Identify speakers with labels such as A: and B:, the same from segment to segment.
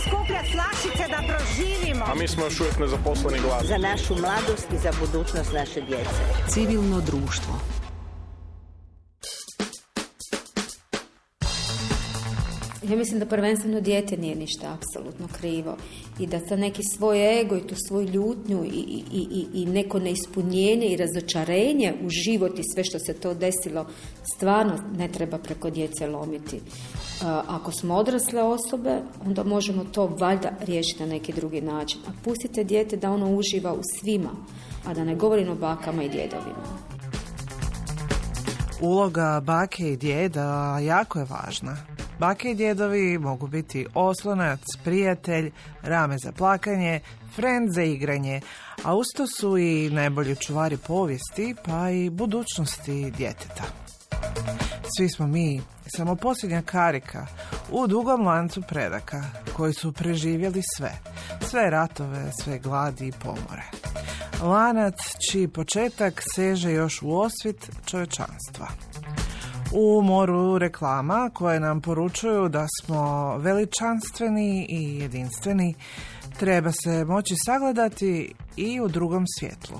A: skupljati flašice da proživimo.
B: A mi smo još uvijek nezaposleni glas.
A: Za našu mladost i za budućnost naše djece.
C: Civilno društvo.
D: Ja mislim da prvenstveno dijete nije ništa apsolutno krivo i da ta neki svoj ego i tu svoju ljutnju i neko neispunjenje i razočarenje u život i sve što se to desilo stvarno ne treba preko djece lomiti. Ako smo odrasle osobe, onda možemo to valjda riješiti na neki drugi način. A pustite dijete da ono uživa u svima, a da ne govorim o bakama i djedovima.
E: Uloga bake i djeda jako je važna. Bake i djedovi mogu biti oslonac, prijatelj, rame za plakanje, frend za igranje, a usto su i najbolji čuvari povijesti, pa i budućnosti djeteta. Svi smo mi samo posljednja karika u dugom lancu predaka koji su preživjeli sve ratove, sve gladi i pomore. Lanac čiji početak seže još u osvit čovječanstva. U moru reklama koje nam poručuju da smo veličanstveni i jedinstveni, treba se moći sagledati i u drugom svjetlu.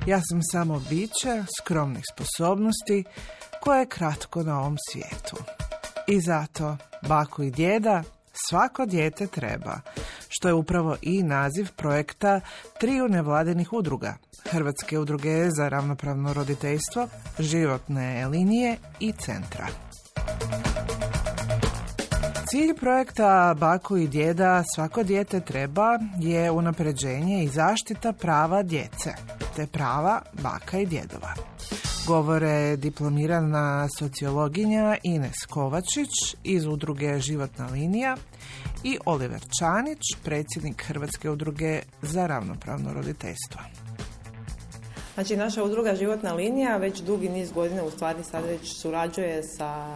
E: Ja sam samo biće skromnih sposobnosti koje je kratko na ovom svijetu. I zato baku i djeda svako dijete treba, što je upravo i naziv projekta 3 nevladinih udruga. Hrvatske udruge za ravnopravno roditeljstvo, Životne linije i Centra. Cilj projekta Baku i djeda svako dijete treba je unapređenje i zaštita prava djece, te prava baka i djedova. Govore diplomirana sociologinja Ines Kovačić iz udruge Životna linija i Oliver Čanić, predsjednik Hrvatske udruge za ravnopravno roditeljstvo.
F: Znači, naša udruga Životna linija već dugi niz godina, u stvari sad već surađuje sa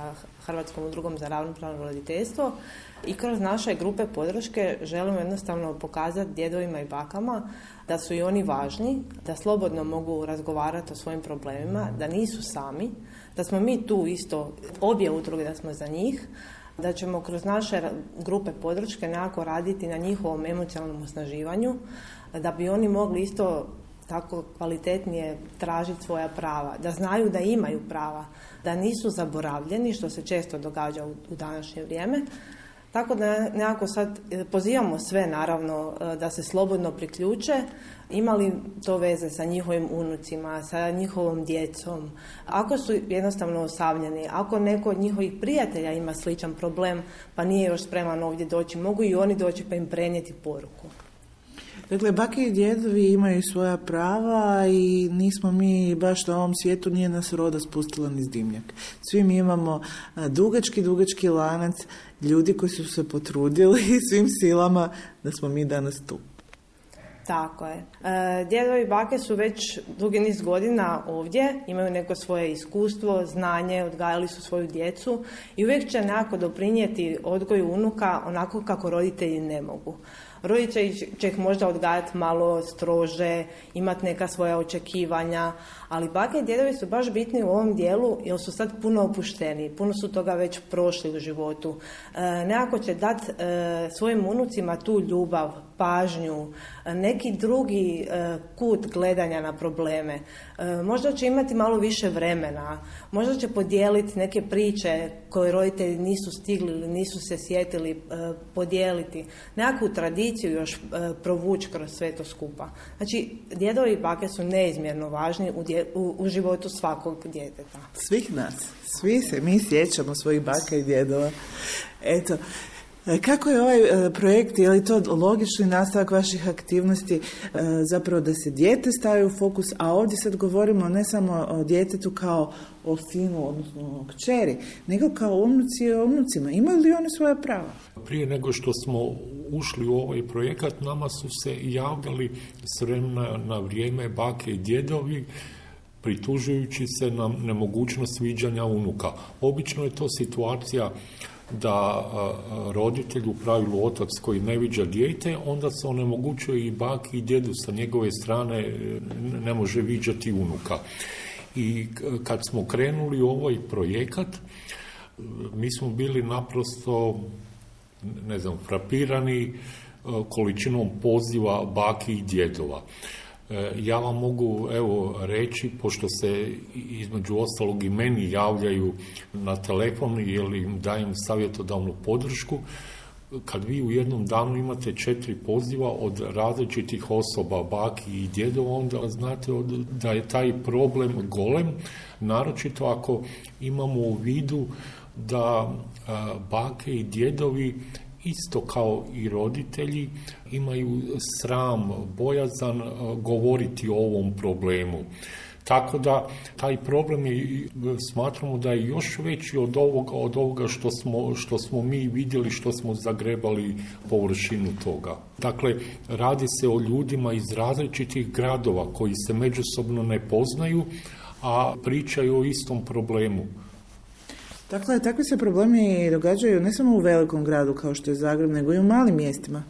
F: Hrvatskom udrugom za ravnopravno roditeljstvo i kroz naše grupe podrške želimo jednostavno pokazati djedovima i bakama da su i oni važni, da slobodno mogu razgovarati o svojim problemima, da nisu sami, da smo mi tu isto, obje udruge, da smo za njih, da ćemo kroz naše grupe podrške nekako raditi na njihovom emocionalnom osnaživanju, da bi oni mogli isto tako kvalitetnije tražiti svoja prava, da znaju da imaju prava, da nisu zaboravljeni, što se često događa u današnje vrijeme. Tako da nekako sad pozivamo sve naravno da se slobodno priključe, imali to veze sa njihovim unucima, sa njihovom djecom. Ako su jednostavno osamljeni, ako neko od njihovih prijatelja ima sličan problem pa nije još spreman ovdje doći, mogu i oni doći pa im prenijeti poruku.
G: Dakle, bake i djedovi imaju svoja prava i nismo mi baš na ovom svijetu, nije nas roda spustila niz dimnjak. Svi mi imamo dugački lanac ljudi koji su se potrudili svim silama da smo mi danas tu.
F: Tako je. Djedovi i bake su već dugi niz godina ovdje, imaju neko svoje iskustvo, znanje, odgajali su svoju djecu i uvijek će nekako doprinijeti odgoju unuka onako kako roditelji ne mogu. Roditelji će ih možda odgajati malo strože, imati neka svoja očekivanja, ali bake i djedovi su baš bitni u ovom dijelu jer su sad puno opušteni, puno su toga već prošli u životu. Nekako će dati svojim unucima tu ljubav, pažnju, neki drugi kut gledanja na probleme. Možda će imati malo više vremena, možda će podijeliti neke priče koje roditelji nisu stigli ili nisu se sjetili podijeliti. Nekakvu tradiciju još provući kroz sve to skupa. Znači, djedovi i bake su neizmjerno važni u životu svakog djeteta.
G: Svih nas, svi se mi sjećamo svojih baka i djedova. Eto, kako je ovaj projekt, je li to logični nastavak vaših aktivnosti, zapravo da se dijete stavi u fokus, a ovdje sad govorimo ne samo o djetetu kao o sinu, odnosno o kćeri, nego kao unuci i o unucima. Imaju li oni svoja prava?
H: Prije nego što smo ušli u ovaj projekat, nama su se javljali s vremena na vrijeme bake i djedovi, pritužujući se na nemogućnost viđanja unuka. Obično je to situacija da roditelj, u pravilu otac koji ne viđa dijete, onda se onemogućuje i baki i djedu sa njegove strane ne može viđati unuka. I kad smo krenuli u ovaj projekat, mi smo bili naprosto frapirani količinom poziva baki i djedova. Ja vam mogu reći, pošto se između ostalog i meni javljaju na telefon ili im dajem savjetodavnu podršku, kad vi u jednom danu imate 4 poziva od različitih osoba, baki i djedova, onda znate da je taj problem golem, naročito ako imamo u vidu da bake i djedovi isto kao i roditelji imaju sram, bojazan govoriti o ovom problemu. Tako da taj problem smatramo da je još veći od ovoga što smo mi vidjeli, što smo zagrebali površinu toga. Dakle, radi se o ljudima iz različitih gradova koji se međusobno ne poznaju, a pričaju o istom problemu.
G: Dakle, takvi se problemi događaju ne samo u velikom gradu kao što je Zagreb, nego i u malim mjestima.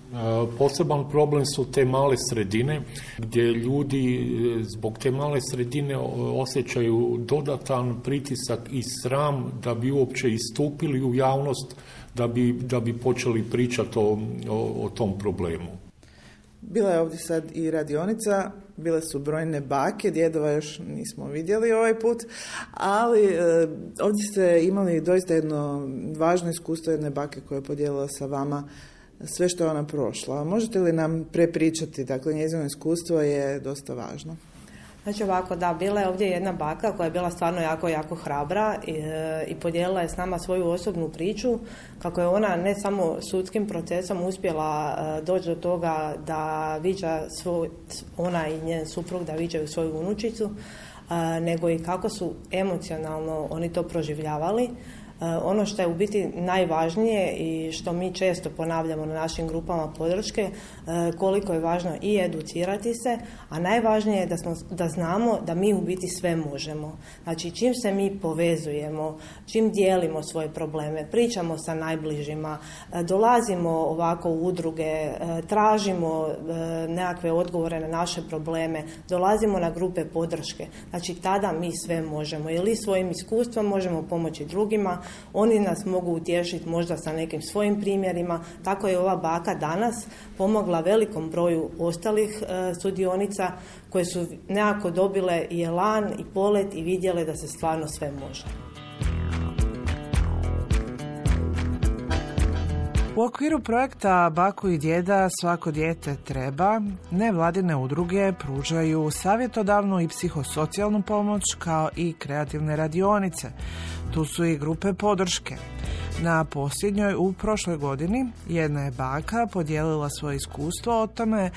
H: Poseban problem su te male sredine, gdje ljudi zbog te male sredine osjećaju dodatan pritisak i sram da bi uopće istupili u javnost, da bi počeli pričati o tom problemu.
G: Bila je ovdje sad i radionica, bile su brojne bake, djedova još nismo vidjeli ovaj put, ali ovdje ste imali doista jedno važno iskustvo jedne bake koja je podijelila sa vama sve što je ona prošla. Možete li nam prepričati, dakle njezino iskustvo je dosta važno.
F: Znači ovako, da, bila je ovdje jedna baka koja je bila stvarno jako, jako hrabra i podijelila je s nama svoju osobnu priču, kako je ona ne samo sudskim procesom uspjela doći do toga da viđa ona i njen suprug da viđaju svoju unučicu, nego i kako su emocionalno oni to proživljavali. Ono što je u biti najvažnije i što mi često ponavljamo na našim grupama podrške, koliko je važno i educirati se, a najvažnije je da znamo da mi u biti sve možemo. Znači, čim se mi povezujemo, čim dijelimo svoje probleme, pričamo sa najbližima, dolazimo ovako u udruge, tražimo nekakve odgovore na naše probleme, dolazimo na grupe podrške, znači tada mi sve možemo. Ili svojim iskustvom možemo pomoći drugima, oni nas mogu utješiti možda sa nekim svojim primjerima. Tako je ova baka danas pomogla velikom broju ostalih sudionica koje su nekako dobile i elan i polet i vidjele da se stvarno sve može.
E: U okviru projekta Baku i djeda svako dijete treba, nevladine udruge pružaju savjetodavnu i psihosocijalnu pomoć kao i kreativne radionice. Tu su i grupe podrške. Na posljednjoj u prošloj godini jedna je baka podijelila svoje iskustvo o tome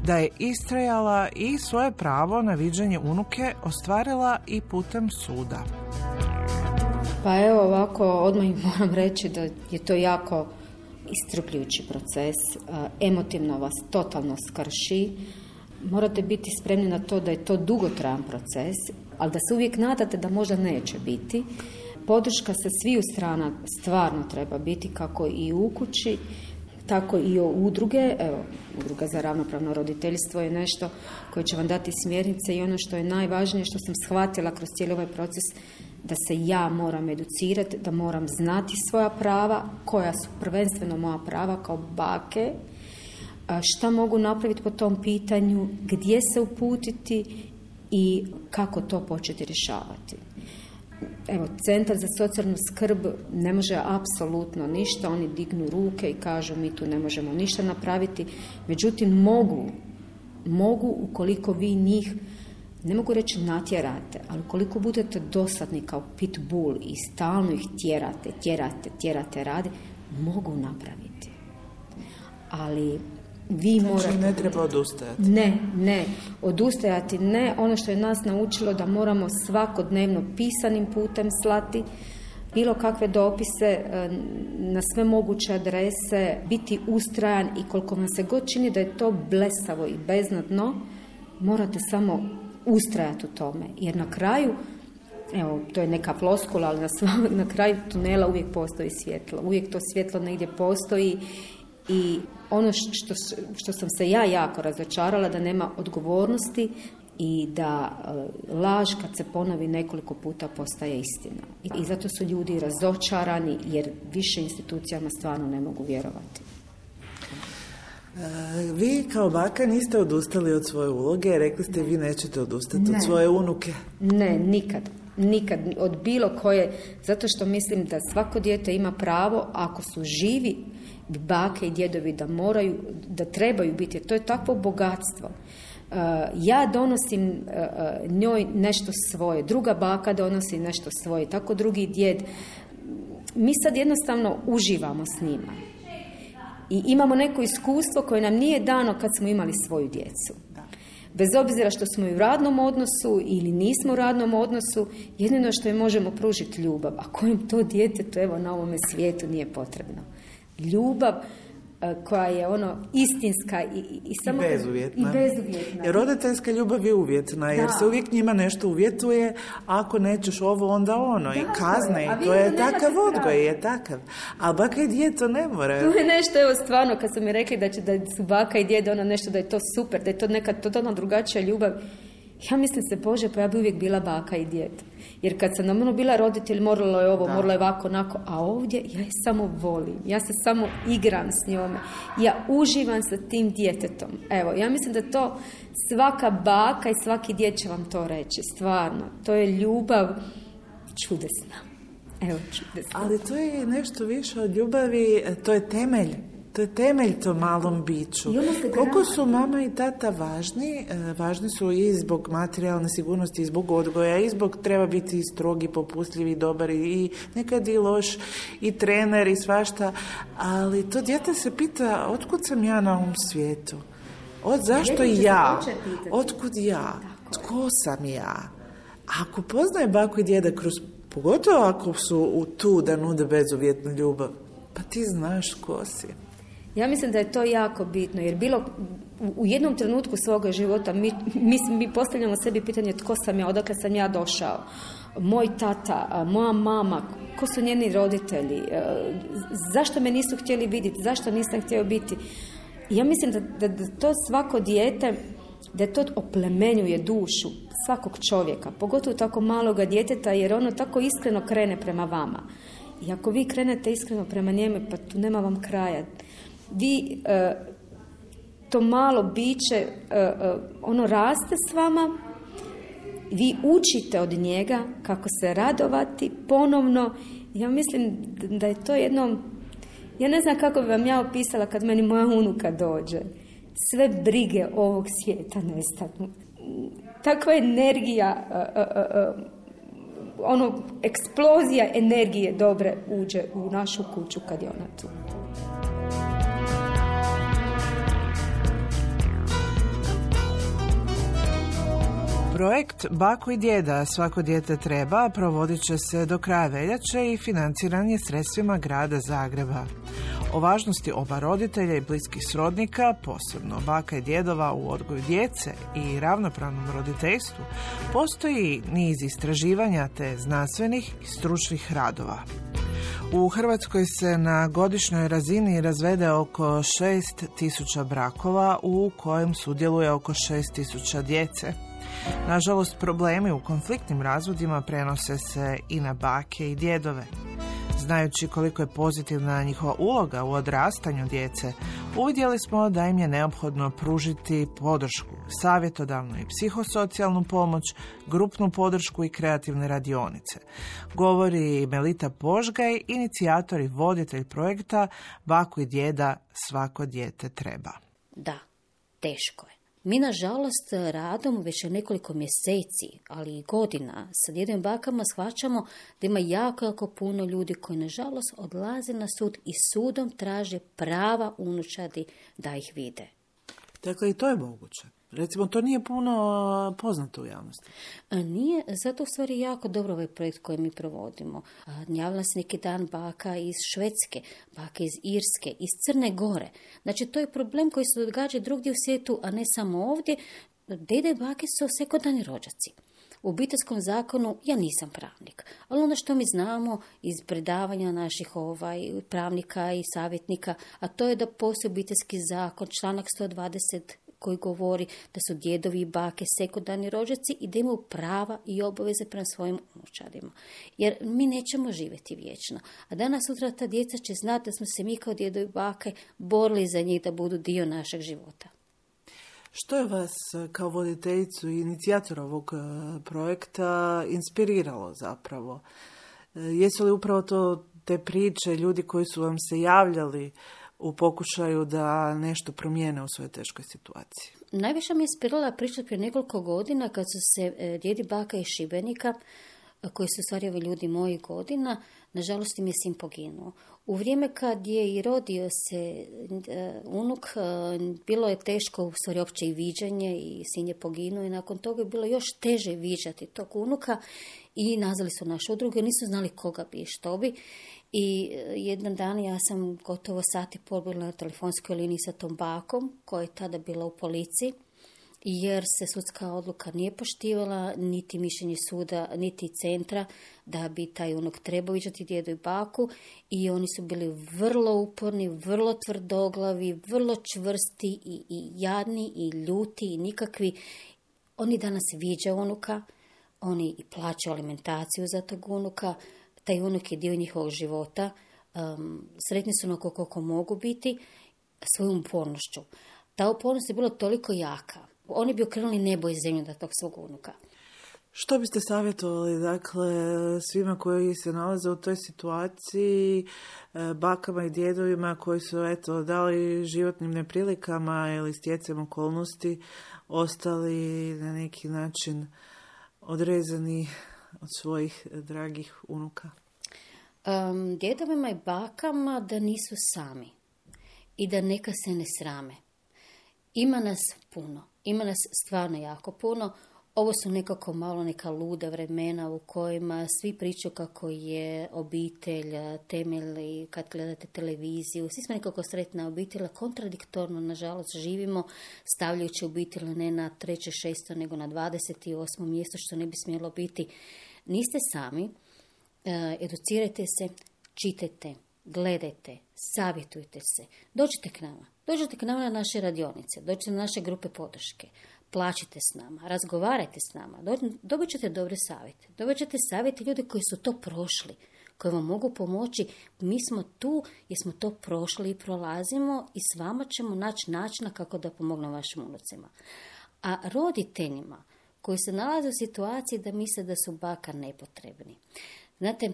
E: da je istrajala i svoje pravo na viđenje unuke ostvarila i putem suda.
D: Pa evo ovako, odmah moram reći da je to jako iscrpljujući proces, emotivno vas totalno skrši. Morate biti spremni na to da je to dugotrajan proces, ali da se uvijek nadate da možda neće biti. Podrška sa sviju strana stvarno treba biti, kako i u kući, tako i o udruge. Evo, udruga za ravnopravno roditeljstvo je nešto koje će vam dati smjernice i ono što je najvažnije, što sam shvatila kroz cijeli ovaj proces, da se ja moram educirati, da moram znati svoja prava, koja su prvenstveno moja prava kao bake, šta mogu napraviti po tom pitanju, gdje se uputiti i kako to početi rješavati. Evo, Centar za socijalnu skrb ne može apsolutno ništa, oni dignu ruke i kažu mi tu ne možemo ništa napraviti, međutim mogu ukoliko vi njih, ne mogu reći natjerate, ali ukoliko budete dosadni kao pitbull i stalno ih tjerate radi, mogu napraviti. Ali vi morate...
G: Znači ne treba odustajati.
D: Ne, odustajati ne. Ono što je nas naučilo da moramo svakodnevno pisanim putem slati bilo kakve dopise na sve moguće adrese, biti ustrajan i koliko vam se god čini da je to blesavo i beznadno, morate samo ustrajati u tome. Jer na kraju, evo, to je neka floskula, ali na kraju tunela uvijek postoji svjetlo. Uvijek to svjetlo negdje postoji. I ono što sam se ja jako razočarala, da nema odgovornosti i da laž kad se ponovi nekoliko puta postaje istina. I zato su ljudi razočarani jer više institucijama stvarno ne mogu vjerovati.
G: Vi kao baka niste odustali od svoje uloge, rekli ste vi nećete odustati od svoje unuke.
D: Ne, nikad, od bilo koje, zato što mislim da svako dijete ima pravo, ako su živi bake i djedovi, da trebaju biti, to je takvo bogatstvo. Ja donosim njoj nešto svoje, druga baka donosi nešto svoje, tako drugi djed. Mi sad jednostavno uživamo s njima. I imamo neko iskustvo koje nam nije dano kad smo imali svoju djecu. Bez obzira što smo i u radnom odnosu ili nismo u radnom odnosu, jedino što im možemo pružiti ljubav, a kojem to djetetu evo na ovome svijetu nije potrebno. Ljubav koja je istinska i samo
G: bezuvjetna.
D: bezuvjetna.
G: Jer roditeljska ljubav je uvjetna, jer se uvijek njima nešto uvjetuje, ako nećeš ovo, onda ono, i kazne, i to je takav odgoj, je takav. A baka i djed to ne moraju.
D: To je nešto, evo stvarno, kad su mi rekli da su baka i djed nešto, da je to super, da je to neka totalno drugačija ljubav, ja mislim se, Bože, pa ja bi uvijek bila baka i djed. Jer kad sam bila roditelj, moralo je ovo, moralo je ovako, onako, a ovdje ja je samo volim. Ja se samo igram s njome. Ja uživam sa tim djetetom. Evo, ja mislim da to svaka baka i svaki djed će vam to reći. Stvarno, to je ljubav čudesna. Evo, čudesna.
G: Ali to je nešto više od ljubavi, to je temelj. To je temelj tom malom biću. Koliko su mama i tata važni? Važni su i zbog materijalne sigurnosti, i zbog odgoja, i zbog treba biti strogi, popustljivi, dobar i nekad i loš, i trener i svašta. Ali to dijete se pita, otkud sam ja na ovom svijetu? Zašto ja? Otkud ja? Tko sam ja? Ako poznaje baku i djeda pogotovo ako su tu da nude bezuvjetnu ljubav, pa ti znaš tko si.
D: Ja mislim da je to jako bitno, jer u jednom trenutku svoga života mi postavljamo sebi pitanje tko sam ja, odakle sam ja došao, moj tata, moja mama, ko su njeni roditelji, zašto me nisu htjeli vidjeti, zašto nisam htio biti. Ja mislim da to svako dijete, da to oplemenjuje dušu svakog čovjeka, pogotovo tako maloga djeteta, jer ono tako iskreno krene prema vama. I ako vi krenete iskreno prema njemu, pa tu nema vam kraja. Vi, to malo biće, ono raste s vama, vi učite od njega kako se radovati ponovno. Ja mislim da je to jedno, ja ne znam kako bi vam ja opisala kad meni moja unuka dođe. Sve brige ovog svijeta nestanu. Takva energija, eksplozija energije dobre uđe u našu kuću kad je ona tu.
E: Projekt Baku i djeda svako dijete treba provodit će se do kraja veljače i financiran je sredstvima grada Zagreba. O važnosti oba roditelja i bliskih srodnika, posebno baka i djedova u odgoju djece i ravnopravnom roditeljstvu, postoji niz istraživanja te znanstvenih i stručnih radova. U Hrvatskoj se na godišnjoj razini razvede oko 6.000 brakova u kojem sudjeluje oko 6.000 djece. Nažalost, problemi u konfliktnim razvodima prenose se i na bake i djedove. Znajući koliko je pozitivna njihova uloga u odrastanju djece, uvidjeli smo da im je neophodno pružiti podršku, savjetodavnu i psihosocijalnu pomoć, grupnu podršku i kreativne radionice. Govori Melita Požgaj, inicijator i voditelj projekta Baku i djeda svako dijete treba.
C: Da, teško je. Mi, nažalost, radom već nekoliko mjeseci, ali i godina, sa djedom i bakama shvaćamo da ima jako puno ljudi koji, nažalost, odlaze na sud i sudom traže prava unučadi da ih vide.
G: Dakle, i to je moguće. Recimo, to nije puno poznato u javnosti.
C: Nije, zato u stvari jako dobro ovaj projekt koji mi provodimo. Javila se neki dan baka iz Švedske, baka iz Irske, iz Crne Gore. Znači, to je problem koji se događa drugdje u svijetu, a ne samo ovdje. Dede i bake su sekundarni rođaci. U obiteljskom zakonu ja nisam pravnik, ali ono što mi znamo iz predavanja naših pravnika i savjetnika, a to je da postoji obiteljski zakon, članak 120 koji govori da su djedovi i bake sekundarni rođaci i da imaju prava i obaveze prema svojim unučadima. Jer mi nećemo živjeti vječno. A danas sutra ta djeca će znati da smo se mi kao djedovi i bake borili za njih da budu dio našeg života.
G: Što je vas kao voditeljicu i inicijatora ovog projekta inspiriralo zapravo? Jesu li upravo to te priče, ljudi koji su vam se javljali u pokušaju da nešto promijene u svojoj teškoj situaciji?
C: Najviše me inspirirala priča prije nekoliko godina kad su se djedi baka iz Šibenika, koji su stvari ljudi mojih godina, nažalost im je sin poginuo. U vrijeme kad je i rodio se unuk, bilo je teško u stvari opće i viđanje i sin je poginuo i nakon toga je bilo još teže viđati tog unuka i nazvali su našu udrugu, nisu znali koga bi i što bi. I jedan dan ja sam gotovo sat i pol bila na telefonskoj liniji sa tom bakom koja je tada bila u policiji, jer se sudska odluka nije poštivala, niti mišljenje suda, niti centra, da bi taj unuk trebao viđati djedu i baku. I oni su bili vrlo uporni, vrlo tvrdoglavi, vrlo čvrsti i jadni i ljuti i nikakvi. Oni danas viđaju unuka, oni i plaćaju alimentaciju za tog unuka, taj unuk je dio njihovog života, sretni su onako koliko mogu biti svojom upornošću. Ta upornost je bila toliko jaka. Oni bi okrenuli nebo i zemlju da tog svog unuka.
G: Što biste savjetovali, dakle, svima koji se nalaze u toj situaciji, bakama i djedovima koji su, eto, dali životnim neprilikama ili stjecajem okolnosti ostali na neki način odrezani od svojih dragih unuka?
C: Djedovima i bakama da nisu sami i da neka se ne srame. Ima nas puno, ima nas stvarno jako puno. Ovo su nekako malo neka luda vremena u kojima svi pričaju kako je obitelj temelj i kad gledate televiziju. Svi smo nekako sretna obitelj, kontradiktorno nažalost živimo stavljajući obitelj ne na 3. 6. nego na 28. mjesto što ne bi smjelo biti. Niste sami, educirajte se, čitajte, gledajte, savjetujte se, dođite k nama. Dođite k nama na naše radionice, dođite na naše grupe podrške, plaćite s nama, razgovarajte s nama, dobit ćete dobre savjete. Dobit ćete savjete ljudi koji su to prošli, koji vam mogu pomoći. Mi smo tu jer smo to prošli i prolazimo i s vama ćemo naći načina kako da pomognemo vašim unucima. A roditeljima koji se nalaze u situaciji da misle da su baka nepotrebni. Znate,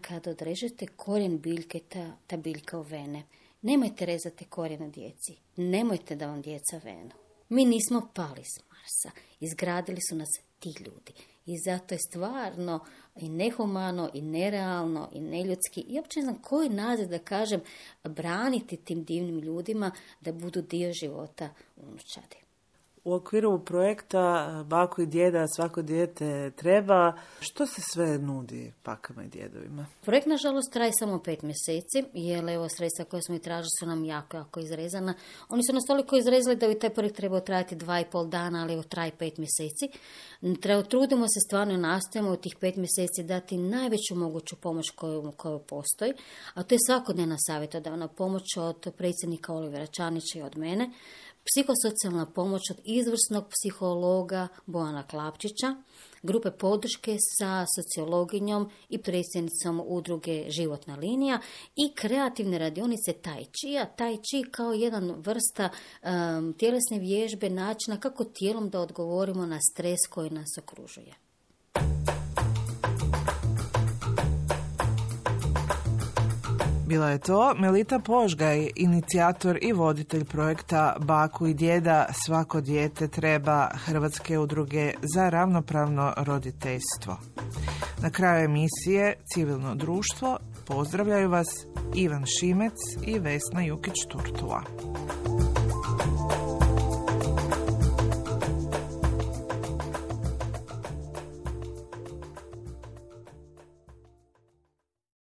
C: kad odrežete korijen biljke, ta biljka ovene, nemojte rezati korijene djeci. Nemojte da vam djeca venu. Mi nismo pali s Marsa. Izgradili su nas ti ljudi. I zato je stvarno i nehumano, i nerealno, i neljudski. I uopće ne znam koji naziv da kažem braniti tim divnim ljudima da budu dio života unučadi.
G: U okviru projekta Baku i djeda svako dijete treba, što se sve nudi bakama i djedovima?
C: Projekt nažalost traje samo 5 mjeseci, jer evo sredstva koje smo i tražili su nam jako izrezana. Oni su nas toliko izrezali da bi taj projekt trebao trajati 2,5 dana, ali evo traje 5 mjeseci. Trudimo se stvarno, nastojimo u tih 5 mjeseci dati najveću moguću pomoć koju postoji, a to je svakodnevna savjetodavna pomoć od predsjednika Olivera Čanića i od mene, psihosocijalna pomoć od izvrsnog psihologa Bojana Klapčića, grupe podrške sa sociologinjom i predsjednicom udruge Životna linija i kreativne radionice Tai Chi. Tai Chi kao jedan vrsta tjelesne vježbe, načina kako tijelom da odgovorimo na stres koji nas okružuje.
E: Bila je to Melita Požgaj, inicijator i voditelj projekta Baku i djeda svako dijete treba Hrvatske udruge za ravnopravno roditeljstvo. Na kraju emisije Civilno društvo pozdravljaju vas Ivan Šimec i Vesna Jukić-Turtula.